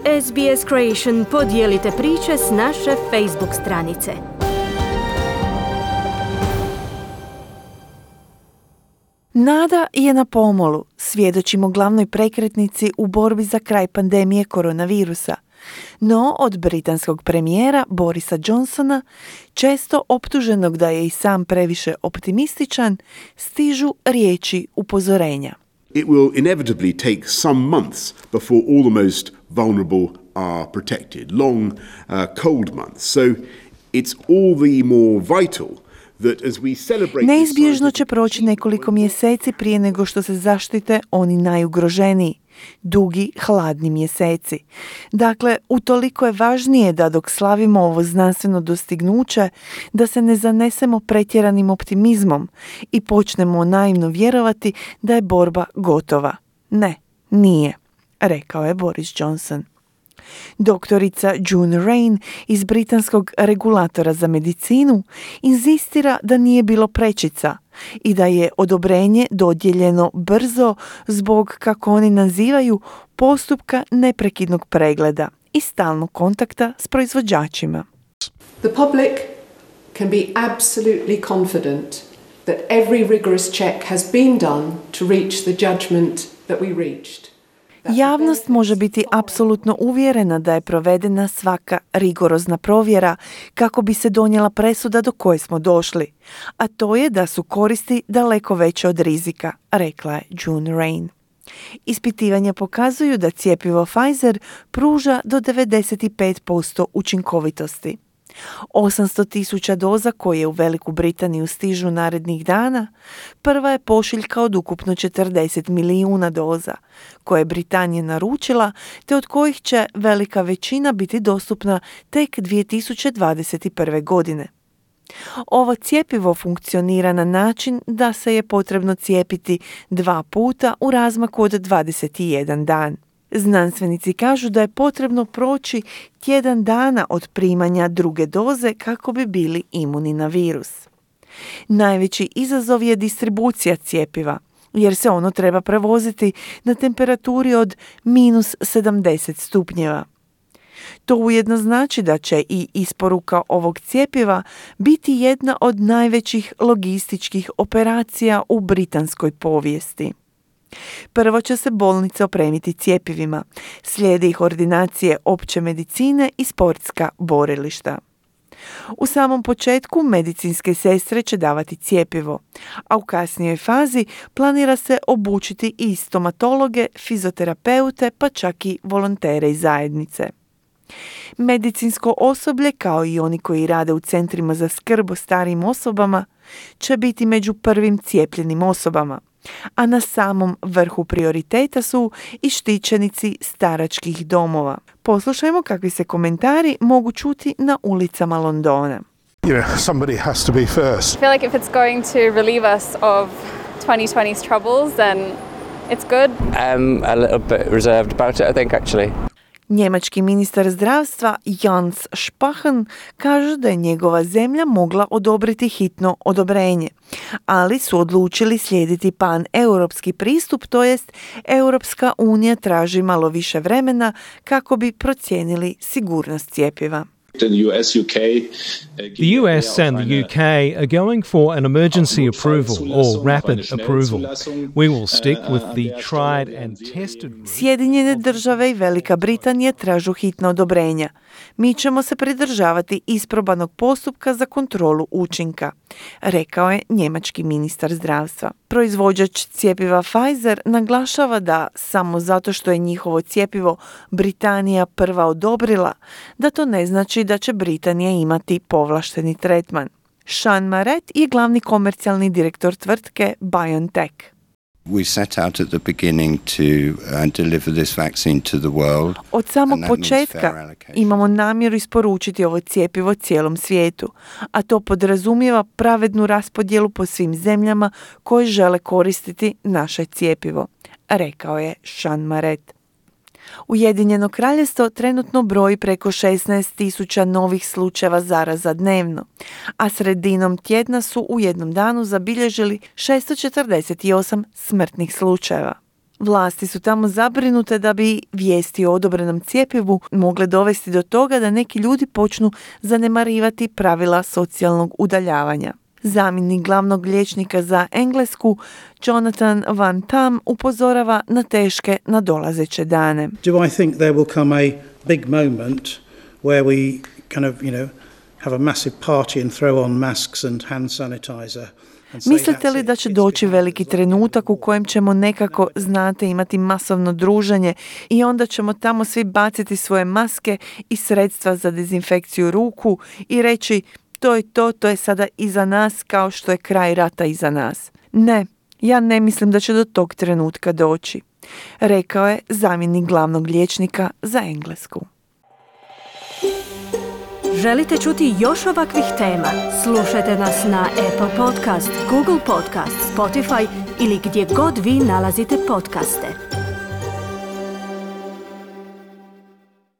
SBS Creation podijelite priče s naše Facebook stranice. Nada je na pomolu, svjedočimo glavnoj prekretnici u borbi za kraj pandemije koronavirusa. No od britanskog premijera Borisa Johnsona, često optuženog da je i sam previše optimističan, stižu riječi upozorenja. It will inevitably take some months before all the most vulnerable are protected. Long, cold months. So it's all the more vital that as we celebrate... Neizbježno će proći nekoliko mjeseci prije nego što se zaštite oni najugroženiji. Dugi, hladni mjeseci. Dakle, utoliko je važnije da dok slavimo ovo znanstveno dostignuće, da se ne zanesemo pretjeranim optimizmom i počnemo naivno vjerovati da je borba gotova. Ne, nije, rekao je Boris Johnson. Doktorica June Rain iz britanskog regulatora za medicinu inzistira da nije bilo prečica i da je odobrenje dodijeljeno brzo zbog, kako oni nazivaju, postupka neprekidnog pregleda i stalnog kontakta s proizvođačima. The public can be absolutely confident that every rigorous check has been done to reach the judgment that we reached. Javnost može biti apsolutno uvjerena da je provedena svaka rigorozna provjera kako bi se donijela presuda do koje smo došli, a to je da su koristi daleko veće od rizika, rekla je June Rain. Ispitivanja pokazuju da cjepivo Pfizer pruža do 95% učinkovitosti. 800,000 doza koje u Veliku Britaniju stižu narednih dana, prva je pošiljka od ukupno 40 milijuna doza, koje je Britanija naručila, te od kojih će velika većina biti dostupna tek 2021. godine. Ovo cjepivo funkcionira na način da se je potrebno cijepiti 2 puta u razmaku od 21 dan. Znanstvenici kažu da je potrebno proći tjedan dana od primanja druge doze kako bi bili imuni na virus. Najveći izazov je distribucija cjepiva, jer se ono treba prevoziti na temperaturi od -70 stupnjeva. To ujedno znači da će i isporuka ovog cjepiva biti jedna od najvećih logističkih operacija u britanskoj povijesti. Prvo će se bolnice opremiti cjepivima, slijede ih ordinacije opće medicine i sportska borilišta. U samom početku medicinske sestre će davati cjepivo, a u kasnijoj fazi planira se obučiti i stomatologe, fizioterapeute, pa čak i volontere iz zajednice. Medicinsko osoblje, kao i oni koji rade u centrima za skrb o starijim osobama, će biti među prvim cijepljenim osobama, a na samom vrhu prioriteta su i štićenici staračkih domova. Poslušajmo kakvi se komentari mogu čuti na ulicama Londona. Somebody has to be first. I feel like if it's going to relieve us of 2020's troubles, then it's good. A little bit reserved about it, I think, actually. Njemački ministar zdravstva Jens Spahn kaže da je njegova zemlja mogla odobriti hitno odobrenje, ali su odlučili slijediti pan-europski pristup, to jest Europska unija traži malo više vremena kako bi procijenili sigurnost cjepiva. The US and the UK are going for an emergency approval or rapid approval. We will stick with the tried and tested. Sjedinjene države i Velika Britanija tražu hitna odobrenja. Mi ćemo se pridržavati isprobanog postupka za kontrolu učinka, rekao je njemački ministar zdravstva. Proizvođač cjepiva Pfizer naglašava da samo zato što je njihovo cjepivo Britanija prva odobrila, da to ne znači da će Britanija imati povlašteni tretman. Sean Maret je glavni komercijalni direktor tvrtke BioNTech. We set out at the beginning to deliver this vaccine to the world. Od samog početka imamo namjeru isporučiti ovo cjepivo cijelom svijetu, a to podrazumijeva pravednu raspodjelu po svim zemljama koje žele koristiti naše cjepivo, rekao je Sean Maret. Ujedinjeno kraljevstvo trenutno broji preko 16,000 novih slučajeva zaraza dnevno, a sredinom tjedna su u jednom danu zabilježili 648 smrtnih slučajeva. Vlasti su tamo zabrinute da bi vijesti o odobrenom cjepivu mogle dovesti do toga da neki ljudi počnu zanemarivati pravila socijalnog udaljavanja. Zamjenik glavnog liječnika za Englesku, Jonathan Van Tam, upozorava na teške nadolazeće dane. Do I think there will come a big moment where we kind of, have a massive party and throw on masks and hand sanitizer? Mislite li da će doći veliki trenutak u kojem ćemo nekako, imati masovno druženje i onda ćemo tamo svi baciti svoje maske i sredstva za dezinfekciju ruku i reći to je sada iza nas kao što je kraj rata iza nas? Ne, ja ne mislim da će do tog trenutka doći, rekao je zamjenik glavnog liječnika za Englesku. Želite čuti još ovakvih tema? Slušajte nas na Apple Podcast, Google Podcast, Spotify ili gdje god vi nalazite podcaste.